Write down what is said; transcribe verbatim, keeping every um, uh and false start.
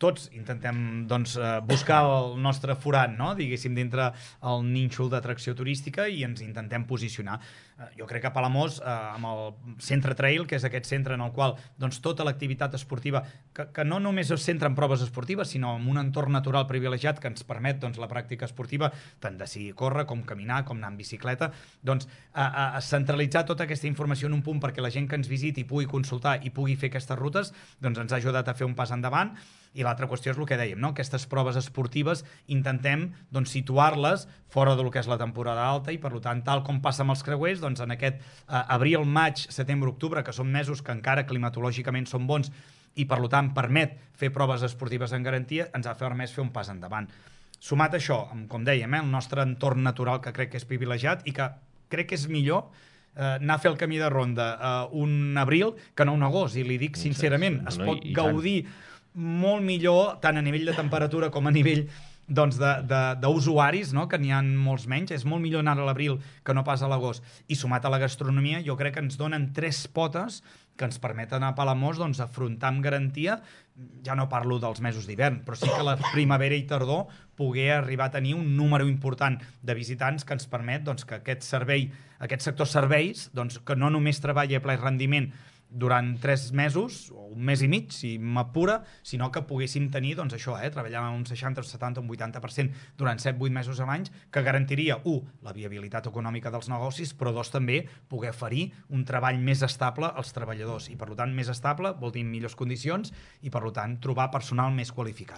tots intentem doncs, buscar el nostre forat, no? Diguéssim, dintre el nínxol d'atracció turística i ens intentem posicionar. Jo crec que a Palamós, eh, amb el Centre Trail, que és aquest centre en el qual doncs, tota l'activitat esportiva, que, que no només es centra en proves esportives, sinó en un entorn natural privilegiat que ens permet doncs, la pràctica esportiva, tant de si córrer, com caminar, com anar en bicicleta, doncs a, a, a centralitzar tota aquesta informació en un punt perquè la gent que ens visiti pugui consultar i pugui fer aquestes rutes, doncs ens ha ajudat a fer un pas endavant. I l'altra qüestió és el que dèiem, no? Aquestes proves esportives intentem doncs, situar-les fora del que és la temporada alta i, per tant, tal com passa amb els creuers, doncs, en aquest eh, abril, maig, setembre, octubre, que són mesos que encara climatològicament són bons i, per tant, permet fer proves esportives en garantia, ens ha permès fer un pas endavant. Sumat a això, com dèiem, eh, el nostre entorn natural que crec que és privilegiat i que crec que és millor eh, anar a fer el camí de ronda eh, un abril que no un agost, i li dic sincerament, es pot gaudir molt millor, tant a nivell de temperatura com a nivell doncs, d'usuaris, no? Que n'hi ha molts menys. És molt millor anar a l'abril que no pas a l'agost. I sumat a la gastronomia, jo crec que ens donen tres potes que ens permeten a Palamós doncs, afrontar amb garantia, ja no parlo dels mesos d'hivern, però sí que la primavera i tardor poder arribar a tenir un número important de visitants que ens permet doncs, que aquest servei, aquest sector serveis, doncs, que no només treballa a ple rendiment durant tres mesos, o un mes i mig, si m'apura, sinó que poguéssim tenir, doncs això, eh, treballar un seixanta, un setanta, un vuitanta per cent durant set vuit mesos a l'any, que garantiria, u, la viabilitat econòmica dels negocis, però dos, també, poder oferir un treball més estable als treballadors. I, per tant, més estable vol dir millors condicions i, per tant, trobar personal més qualificat.